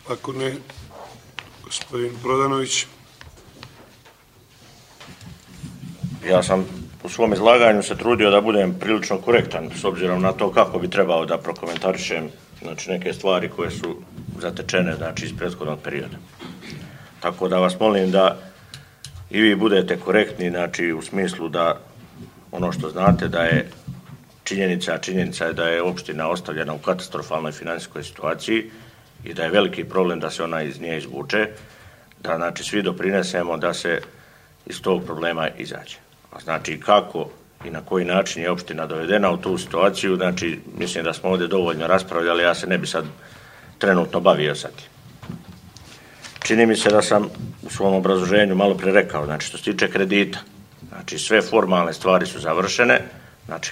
Ako ne, gospodin Prodanović. Ja sam u svom izlaganju se trudio da budem prilično korektan s obzirom na to kako bi trebao da prokomentarišem neke stvari koje su zatečene iz prethodnog perioda. Tako da vas molim da i vi budete korektni u smislu da ono što znate da je činjenica je da je opština ostavljena u katastrofalnoj financijskoj situaciji i da je veliki problem da se ona iz nje izvuče, da svi doprinesemo da se iz tog problema izađe. Kako i na koji način je opština dovedena u tu situaciju, mislim da smo ovdje dovoljno raspravljali, ja se ne bi sad trenutno bavio sa tim. Čini mi se da sam u svom obrazloženju malo pre rekao, što se tiče kredita, sve formalne stvari su završene,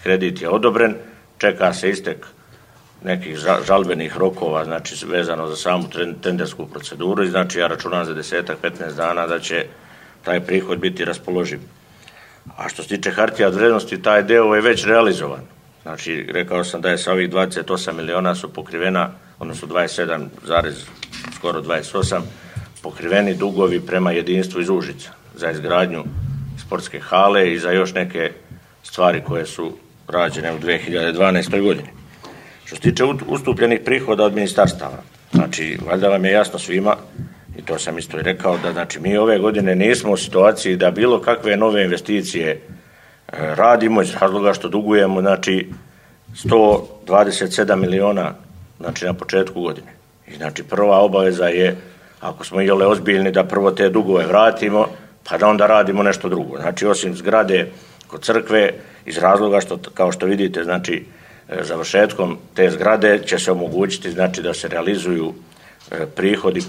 kredit je odobren, čeka se istek nekih žalbenih rokova, vezano za samu tendersku proceduru i ja računam za 10-15 dana da će taj prihod biti raspoloživ. A što se tiče hartija od vrednosti, taj deo je već realizovan. Rekao sam da je sa ovih 28 miliona su pokrivena, odnosno 27, skoro 28, pokriveni dugovi prema jedinstvu iz Užica za izgradnju sportske hale i za još neke stvari koje su rađene u 2012. godini. Što se tiče ustupljenih prihoda od ministarstava, valjda vam je jasno svima, i to sam isto i rekao, da mi ove godine nismo u situaciji da bilo kakve nove investicije radimo iz razloga što dugujemo 127 miliona na početku godine. I prva obaveza je, ako smo iole ozbiljni, da prvo te dugove vratimo, pa da onda radimo nešto drugo. Osim zgrade kod crkve, iz razloga što, kao što vidite, završetkom te zgrade će se omogućiti da se realizuju prihodi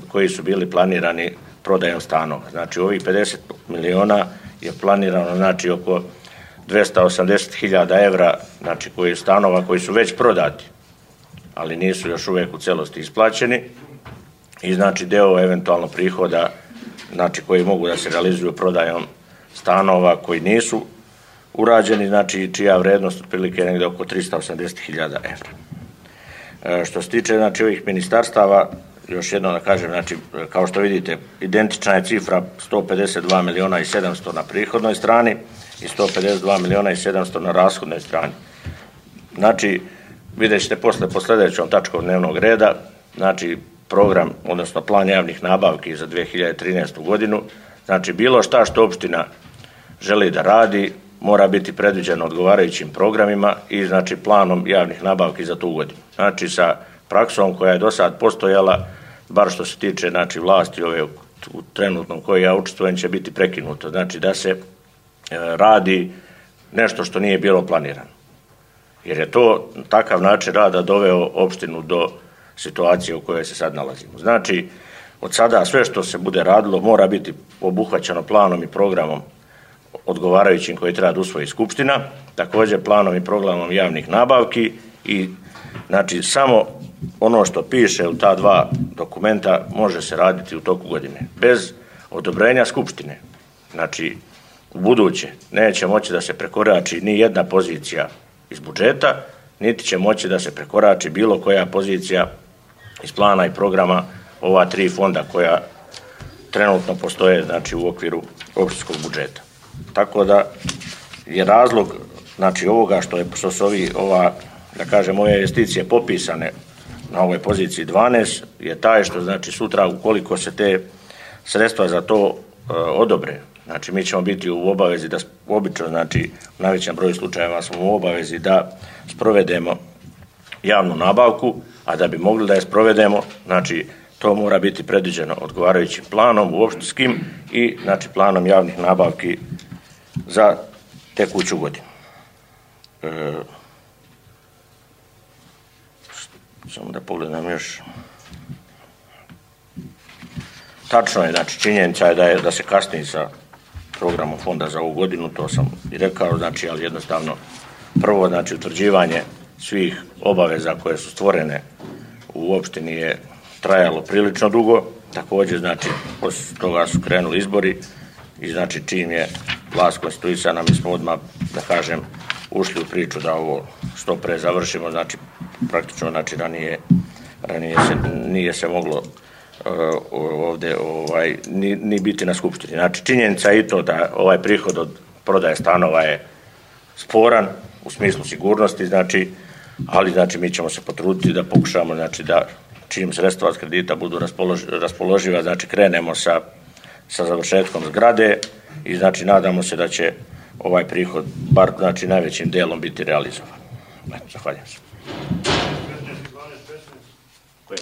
koji su bili planirani prodajom stanova. Ovih 50 miliona je planirano oko 280.000 evra stanova koji su već prodati, ali nisu još uvijek u celosti isplaćeni i deo eventualno prihoda koji mogu da se realizuju prodajom stanova koji nisu urađeni, čija vrednost otprilike je negdje oko 380.000 evra. Što se tiče ovih ministarstava, još jedno da kažem, kao što vidite, identična je cifra 152 miliona i 700 na prihodnoj strani i 152 miliona i 700 na rashodnoj strani. Vidjet ćete po sljedećom tačkom dnevnog reda, program, odnosno plan javnih nabavki za 2013. godinu, bilo šta što opština želi da radi, mora biti predviđeno odgovarajućim programima i planom javnih nabavki za tu godinu. Sa praksom koja je do sad postojala, bar što se tiče vlasti ove u trenutnom koje ja učestvujem, će biti prekinuto. Da se radi nešto što nije bilo planirano. Jer je to takav način rada doveo opštinu do situacije u kojoj se sad nalazimo. Od sada sve što se bude radilo mora biti obuhvaćeno planom i programom odgovarajućim koji treba da usvoji Skupština, također planom i programom javnih nabavki i samo ono što piše u ta dva dokumenta može se raditi u toku godine. Bez odobrenja Skupštine, u buduće neće moći da se prekorači ni jedna pozicija iz budžeta, niti će moći da se prekorači bilo koja pozicija iz plana i programa ova tri fonda koja trenutno postoje u okviru opštinskog budžeta. Tako da je razlog ovoga što su ove investicije popisane na ovoj poziciji 12 je taj što sutra ukoliko se te sredstva za to odobre, mi ćemo biti u obavezi da obično, u najvećem broju slučajeva smo u obavezi da sprovedemo javnu nabavku, a da bi mogli da je sprovedemo, to mora biti predviđeno odgovarajućim planom opštinskim i planom javnih nabavki za tekuću godinu. Samo da pogledam još. Tačno je, činjenica je da se kasni sa programom fonda za ovu godinu, to sam i rekao, ali jednostavno prvo, utvrđivanje svih obaveza koje su stvorene u opštini je trajalo prilično dugo, također, poslije toga su krenuli izbori i čim je vlast konstituisana, mi smo odmah, da kažem, ušli u priču da ovo što pre završimo, praktično, ranije nije se moglo ovdje ni biti na skupštini. Znači, činjenica je i to da ovaj prihod od prodaje stanova je sporan u smislu sigurnosti, znači, ali znači mi ćemo se potruditi da pokušamo, znači da čim sredstva od kredita budu raspoloživa, znači krenemo sa završetkom zgrade i znači nadamo se da će ovaj prihod bar znači najvećim dijelom biti realizovan. Zahvaljujem se. 12-15.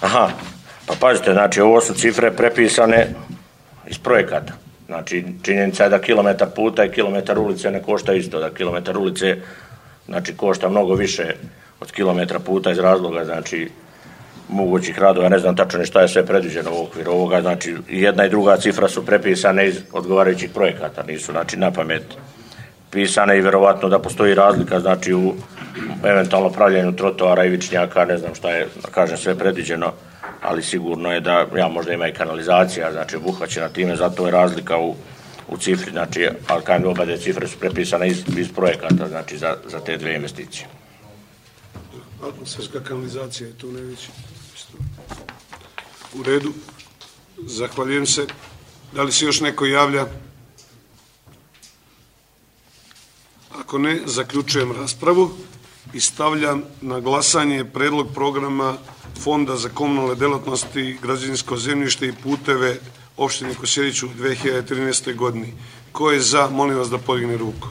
Aha, pa pazite, znači ovo su cifre prepisane iz projekata. Znači činjenica je da kilometar puta i kilometar ulice ne košta isto, da kilometar ulice znači košta mnogo više od kilometra puta iz razloga znači mogućih radova, ne znam tačno šta je sve predviđeno u okviru ovoga, znači jedna i druga cifra su prepisane iz odgovarajućih projekata, nisu znači na pamet pisane i vjerovatno da postoji razlika znači u eventualno pravljenju trotoara i vičnjaka, ne znam šta je, kažem, sve predviđeno, ali sigurno je da možda ima i kanalizacija, znači obuhvaćena time, zato je razlika u cifri, znači, ali kažem, oba dve cifre su prepisane iz projekata, znači za te dve investicije. Atmosferska kanalizacija je tu najveći. U redu. Zahvaljujem se. Da li se još neko javlja? Ako ne, zaključujem raspravu i stavljam na glasanje predlog programa Fonda za komunalne delatnosti, građevinsko zemljište i puteve opštine Kosjerić u 2013. godini. Ko je za, molim vas da podigne ruku.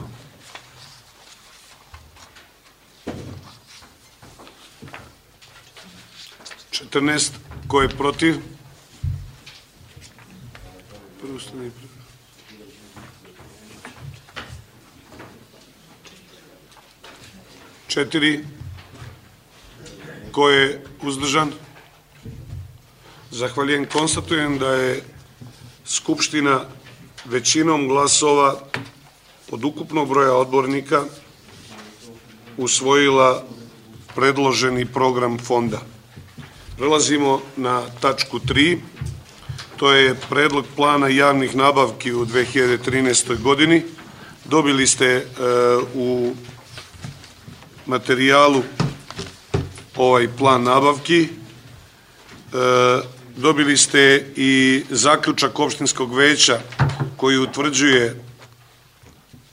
Ko je protiv? Četiri. Ko je uzdržan? Zahvaljujem. Konstatujem da je Skupština većinom glasova od ukupnog broja odbornika usvojila predloženi program fonda. Prelazimo na tačku 3. To je predlog plana javnih nabavki u 2013. godini. Dobili ste u materijalu ovaj plan nabavki. Dobili ste i zaključak opštinskog veća koji utvrđuje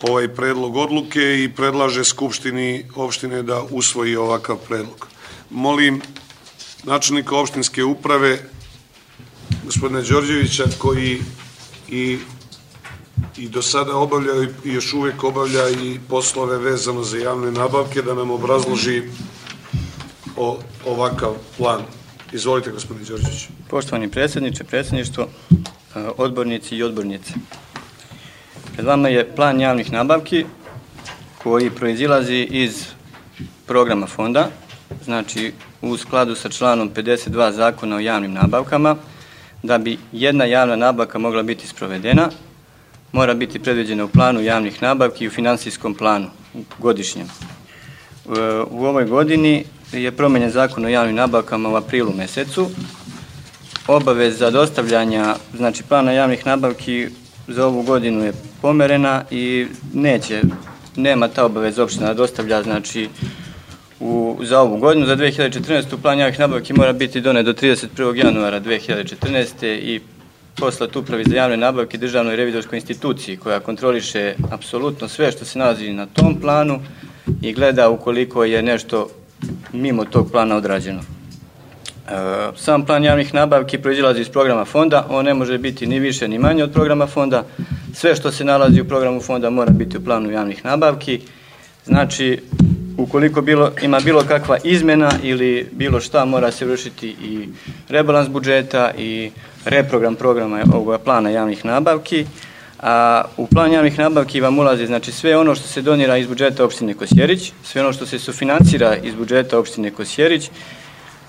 ovaj predlog odluke i predlaže Skupštini opštine da usvoji ovakav predlog. Molim načelnika opštinske uprave, gospodina Đorđevića, koji i do sada obavlja i još uvijek obavlja i poslove vezano za javne nabavke, da nam obrazloži ovakav plan. Izvolite, gospodine Đorđević. Poštovani predsjedniče, predsjedništvo, odbornici i odbornice. Pred vama je plan javnih nabavki koji proizilazi iz programa fonda, znači u skladu sa članom 52 Zakona o javnim nabavkama. Da bi jedna javna nabavka mogla biti sprovedena, mora biti predviđena u planu javnih nabavki i u finansijskom planu godišnjem. U ovoj godini je promenjen Zakon o javnim nabavkama u aprilu mesecu. Obaveza dostavljanja, znači plana javnih nabavki za ovu godinu je pomerena i nema ta obaveza opština da dostavlja, znači za ovu godinu. Za 2014. plan javnih nabavki mora biti donet do 31. januara 2014. i poslat upravi za javne nabavke Državnoj revizorskoj instituciji koja kontroliše apsolutno sve što se nalazi na tom planu i gleda ukoliko je nešto mimo tog plana odrađeno. Sam plan javnih nabavki proizilazi iz programa fonda, on ne može biti ni više ni manje od programa fonda. Sve što se nalazi u programu fonda mora biti u planu javnih nabavki. Znači, ukoliko ima bilo kakva izmena ili bilo šta, mora se vršiti i rebalans budžeta i reprogram programa ovoga plana javnih nabavki. A u plan javnih nabavki vam ulazi znači sve ono što se donira iz budžeta opštine Kosjerić, sve ono što se sufinansira iz budžeta opštine Kosjerić,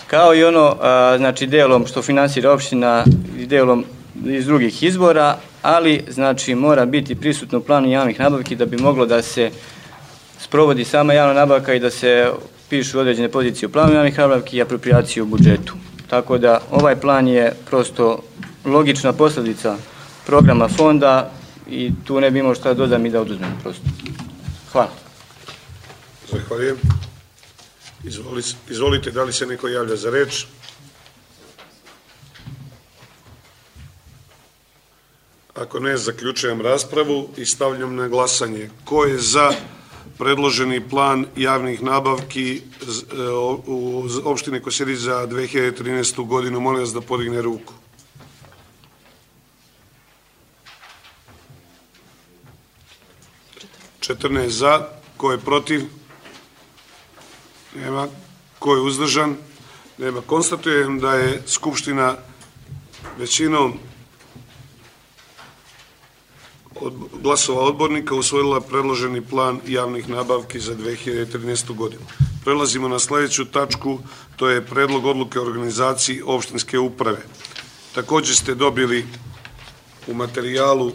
kao i ono znači delom što finansira opština i delom iz drugih izvora, ali znači mora biti prisutno u planu javnih nabavki da bi moglo da se sprovodi sama javna nabavka i da se pišu određene pozicije u planu javnih nabavki i apropriaciju u budžetu. Tako da ovaj plan je prosto logična posljedica programa fonda i tu ne bi imao šta dodam i da oduzmem prosto. Hvala. Zahvaljujem. Izvolite, da li se neko javlja za reč? Ako ne, zaključujem raspravu i stavljam na glasanje. Ko je za predloženi plan javnih nabavki u opštine Kosjerić za 2013. godinu? Molim vas da podigne ruku. Četrnaest za. Ko je protiv? Nema. Ko je uzdržan? Nema. Konstatujem da je Skupština većinom glasova odbornika usvojila predloženi plan javnih nabavki za 2013. godinu. Prelazimo na sljedeću tačku, to je predlog odluke o organizaciji opštinske uprave. Također ste dobili u materijalu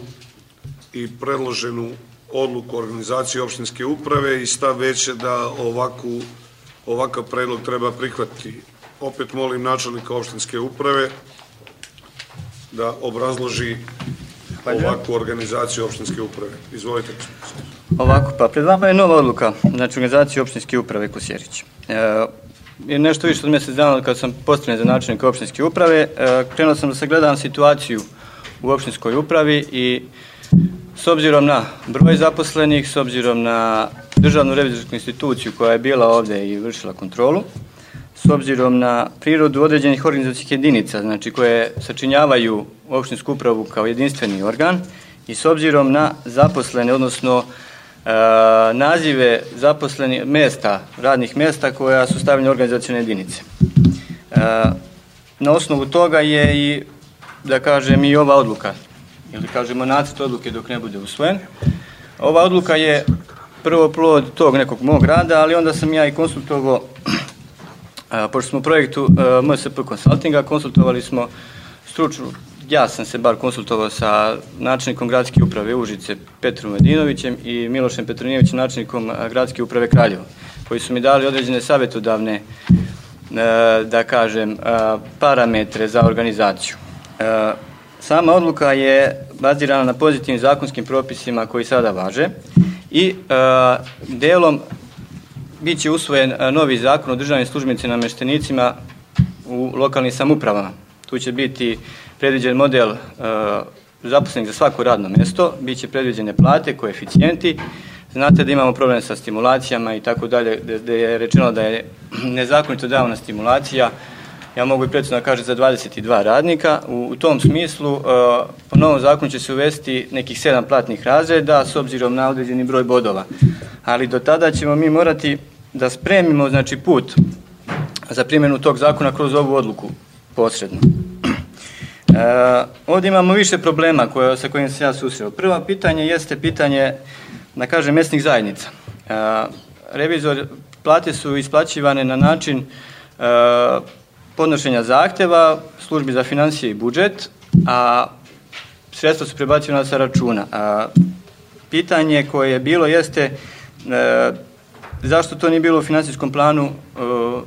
i predloženu odluku o organizaciji opštinske uprave i stav veće da ovakav predlog treba prihvatiti. Opet molim načelnika opštinske uprave da obrazloži ovakvu organizaciju opštinske uprave. Izvolite. Ovako, pa pred vama je nova odluka, znači organizacije opštinske uprave Kosjerić. Nešto više od mjesec dana kad sam postavljen za načelnika opštinske uprave, krenuo sam da sagledam situaciju u opštinskoj upravi i s obzirom na broj zaposlenih, s obzirom na državnu revizorsku instituciju koja je bila ovdje i vršila kontrolu, s obzirom na prirodu određenih organizacijskih jedinica, znači koje sačinjavaju opštinsku upravu kao jedinstveni organ i s obzirom na zaposlene, odnosno nazive zaposlenih mjesta, radnih mjesta koja su stavljene organizacijone jedinice. Na osnovu toga je i, da kažem, i ova odluka, ili kažemo nacrt odluke dok ne bude usvojen. Ova odluka je prvo plod tog nekog mog rada, ali onda sam ja i konsultovao, pošto smo u projektu MSP Consultinga, konsultovali smo stručnu, ja sam se bar konsultovao sa načelnikom gradske uprave Užice Petrom Medinovićem i Milošem Petronijevićem, načelnikom gradske uprave Kraljevo, koji su mi dali određene savjetodavne, da kažem, parametre za organizaciju. Sama odluka je bazirana na pozitivnim zakonskim propisima koji sada važe i delom bit će usvojen novi zakon o državnim službenicima i namještenicima u lokalnim samoupravama. Tu će biti predviđen model zaposlenih za svako radno mjesto, bit će predviđene plate, koeficijenti. Znate da imamo problem sa stimulacijama i tako dalje, gdje je rečeno da je nezakonito davana stimulacija, ja mogu i precizno kažem, za 22 radnika. U tom smislu, po novom zakonu će se uvesti nekih 7 platnih razreda s obzirom na određeni broj bodova. Ali do tada ćemo mi morati da spremimo, znači, put za primjenu tog zakona kroz ovu odluku posredno. Ovdje imamo više problema sa kojim se ja susreo. Prvo pitanje jeste pitanje, da kažem, mjesnih zajednica. Plate su isplaćivane na način podnošenja zahtjeva službi za financije i budžet, a sredstva su prebacivana sa računa. Pitanje koje je bilo jeste zašto to nije bilo u financijskom planu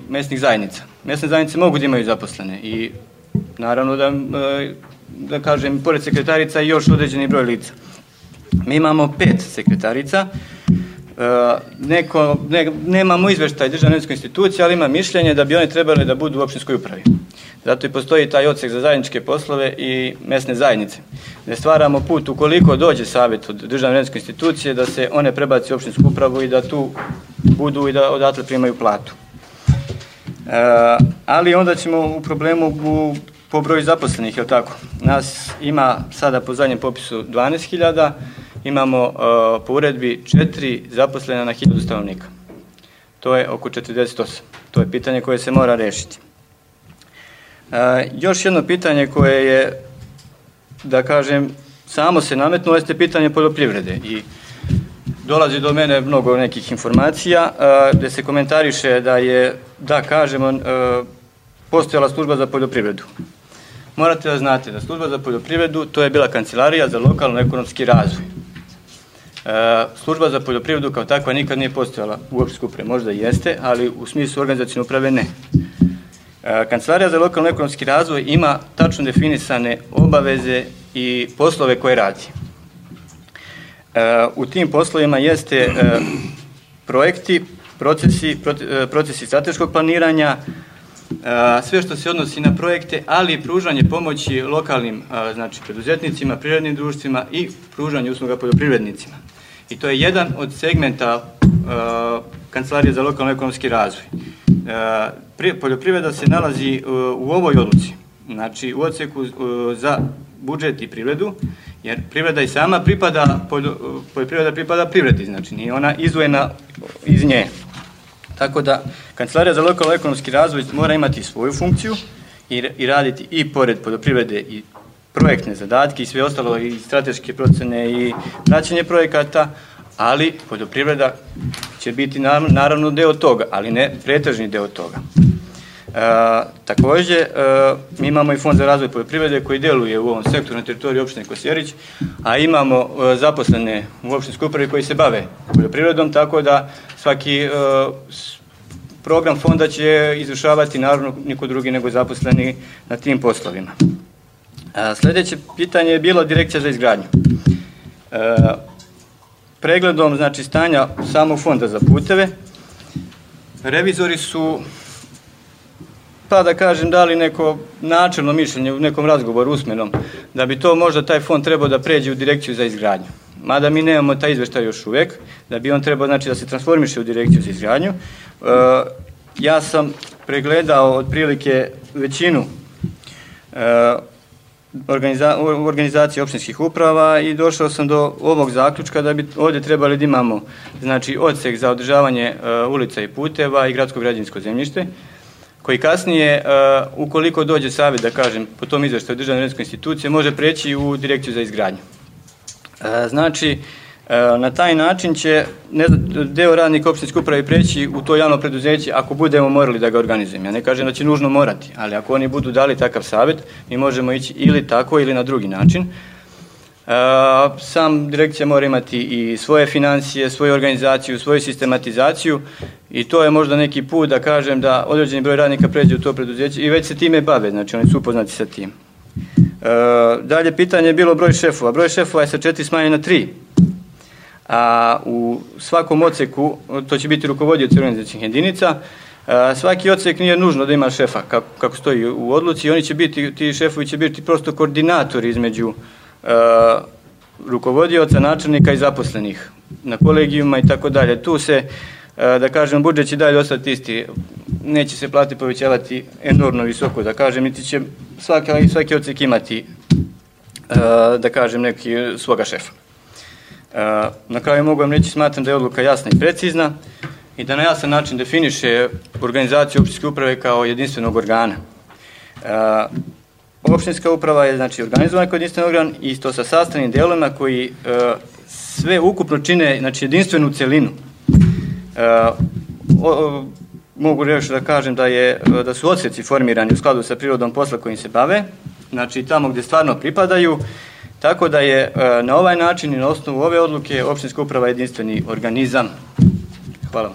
mjesnih zajednica. Mjesne zajednice mogu da imaju zaposlene i naravno da kažem, pored sekretarica i još određeni broj lica. Mi imamo 5 sekretarica, nemamo izveštaj državne revizorskom institucije, ali ima mišljenje da bi oni trebali da budu u opštinskoj upravi. Zato i postoji taj odsek za zajedničke poslove i mesne zajednice. Ne stvaramo put ukoliko dođe savjet od državne revizorskom institucije da se one prebaci u opštinsku upravu i da tu budu i da odatle primaju platu. Ali onda ćemo u problemu po broju zaposlenih, je li tako? Nas ima sada po zadnjem popisu 12.000, imamo po uredbi 4 zaposlena na 1000 stanovnika. To je oko 48. To je pitanje koje se mora rešiti. Još jedno pitanje koje je, da kažem, samo se nametnulo, jeste pitanje poljoprivrede i dolazi do mene mnogo nekih informacija gdje se komentariše da je, da kažemo, postojala služba za poljoprivredu. Morate da znate da služba za poljoprivredu to je bila kancelarija za lokalno ekonomski razvoj. Služba za poljoprivredu kao takva nikad nije postojala u opštinskoj upravi, možda i jeste, ali u smislu organizacijne uprave ne. Kancelarija za lokalno ekonomski razvoj ima tačno definisane obaveze i poslove koje radi. U tim poslovima jeste projekti, procesi strateškog planiranja, sve što se odnosi na projekte, ali i pružanje pomoći lokalnim znači, preduzetnicima, privrednim društvima i pružanje usluga poljoprivrednicima. I to je jedan od segmenta Kancelarije za lokalno ekonomski razvoj. Poljoprivreda se nalazi u ovoj odluci, znači u odseku za budžet i privredu, jer privreda i sama poljoprivreda pripada privredi, znači nije ona izdvojena iz nje. Tako da Kancelarija za lokalno ekonomski razvoj mora imati svoju funkciju i raditi i pored poljoprivrede i projektne zadatke i sve ostalo i strateške procene i praćenje projekata, ali poljoprivreda će biti naravno deo toga, ali ne pretežni deo toga. Takođe, mi imamo i Fond za razvoj poljoprivrede koji deluje u ovom sektoru na teritoriji opštine Kosjerić, a imamo zaposlene u opštinskoj upravi koji se bave poljoprivredom, tako da svaki program fonda će izvršavati naravno niko drugi nego zaposleni na tim poslovima. Sledeće pitanje je bilo Direkcija za izgradnju. Pregledom znači, stanja samog fonda za puteve, revizori su, pa da kažem, dali neko načelno mišljenje u nekom razgovoru usmenom, da bi to možda taj fond trebao da pređe u Direkciju za izgradnju. Mada mi nemamo taj izveštaj još uvek, da bi on trebao znači, da se transformiše u Direkciju za izgradnju. Ja sam pregledao otprilike većinu organizacije opštinskih uprava i došao sam do ovog zaključka da bi ovdje trebali da imamo znači, odsek za održavanje ulica i puteva i gradsko građevinsko zemljište, koji kasnije, ukoliko dođe savjet, da kažem, po tom izveštaju državne redovne institucije, može preći u Direkciju za izgradnju. Znači, na taj način će deo radnika opštinske uprave preći u to javno preduzeće ako budemo morali da ga organizujemo. Ja ne kažem da će nužno morati, ali ako oni budu dali takav savjet, mi možemo ići ili tako ili na drugi način. Sam direkcija mora imati i svoje financije, svoju organizaciju, svoju sistematizaciju i to je možda neki put da kažem da određeni broj radnika pređe u to preduzeće i već se time bave, znači oni su upoznati sa tim. Dalje pitanje je bilo broj šefova. Broj šefova je sa 4 smanjen na 3. A u svakom odseku, to će biti rukovodioci organizacijnih jedinica, svaki odsek nije nužno da ima šefa, kako stoji u odluci, oni će biti, ti šefovi će biti prosto koordinatori između rukovodioca, načelnika i zaposlenih na kolegijuma i tako dalje. Tu se, da kažem, budžet će dalje ostati isti, neće se plate povećavati enormno visoko, da kažem, niti će svaki odsek imati, da kažem, neki svoga šefa. Na kraju mogu vam reći, smatram da je odluka jasna i precizna i da na jasan način definiše organizaciju opštinske uprave kao jedinstvenog organa. Opštinska uprava je znači organizovana kao jedinstveni organ i to sa sastavnim delovima koji sve ukupno čine znači jedinstvenu celinu. Mogu reći da kažem da su odseci formirani u skladu sa prirodom posla kojim se bave, znači tamo gdje stvarno pripadaju, tako da je na ovaj način i na osnovu ove odluke opštinska uprava jedinstveni organizam. Hvala.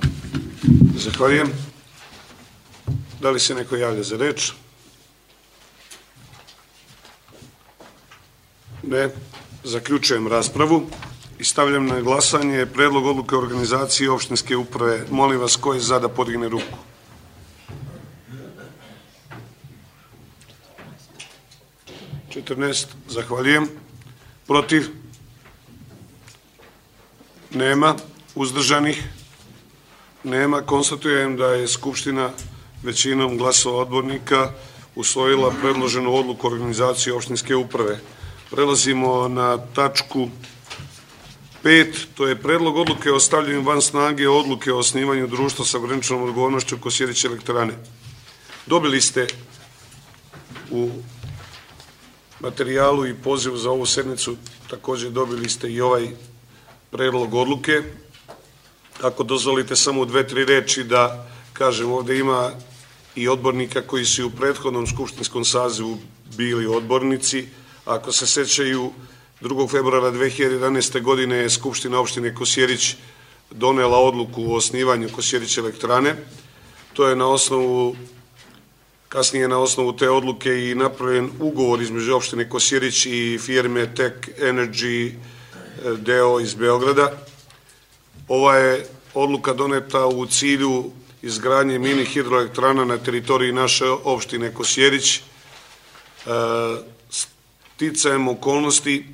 Zahvaljujem. Da li se neko javlja za reč? Ne. Zaključujem raspravu i stavljam na glasanje predlog odluke o organizaciji opštinske uprave. Molim vas, ko je za da podigne ruku? Zahvaljujem. Protiv? Nema. Uzdržanih? Nema. Konstatujem da je Skupština većinom glasova odbornika usvojila predloženu odluku o organizaciji opštinske uprave. Prelazimo na tačku 5. To je predlog odluke o stavljanju van snage odluke o osnivanju društva sa ograničenom odgovornošću Kosjerić elektrane. Dobili ste u materijalu i pozivu za ovu sednicu, također dobili ste i ovaj predlog odluke. Ako dozvolite samo u 2-3 reči da kažem, ovdje ima i odbornika koji su u prethodnom skupštinskom sazivu bili odbornici. Ako se sećaju, 2. februara 2011. godine je Skupština opštine Kosjerić donela odluku o osnivanju Kosjerić elektrane. To je kasnije na osnovu te odluke i napravljen ugovor između opštine Kosjerić i firme Tech Energy deo iz Beograda. Ova je odluka doneta u cilju izgradnje mini hidroelektrana na teritoriji naše opštine Kosjerić. Sticajem okolnosti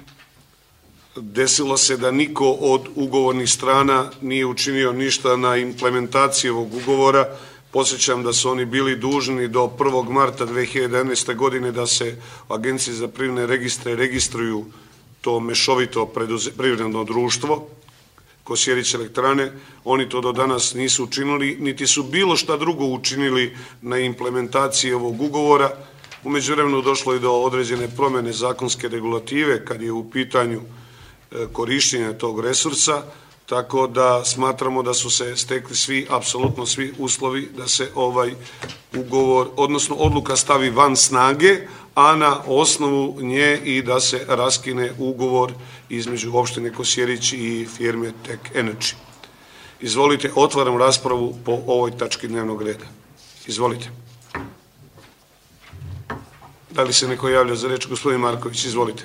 desilo se da niko od ugovornih strana nije učinio ništa na implementaciji ovog ugovora. Posjećam da su oni bili dužni do 1. marta 2011. godine da se u Agenciji za privredne registre registruju to mešovito privredno društvo Kosjerić elektrane. Oni to do danas nisu učinili, niti su bilo šta drugo učinili na implementaciji ovog ugovora. U međuvremenu došlo je do određene promjene zakonske regulative kad je u pitanju korištenja tog resursa, tako da smatramo da su se stekli apsolutno svi uslovi da se ovaj ugovor, odnosno odluka stavi van snage, a na osnovu nje i da se raskine ugovor između opštine Kosjerić i firme Tek Energy. Izvolite, otvaram raspravu po ovoj tački dnevnog reda. Izvolite. Da li se neko javlja za reč? Gospodin Marković, izvolite.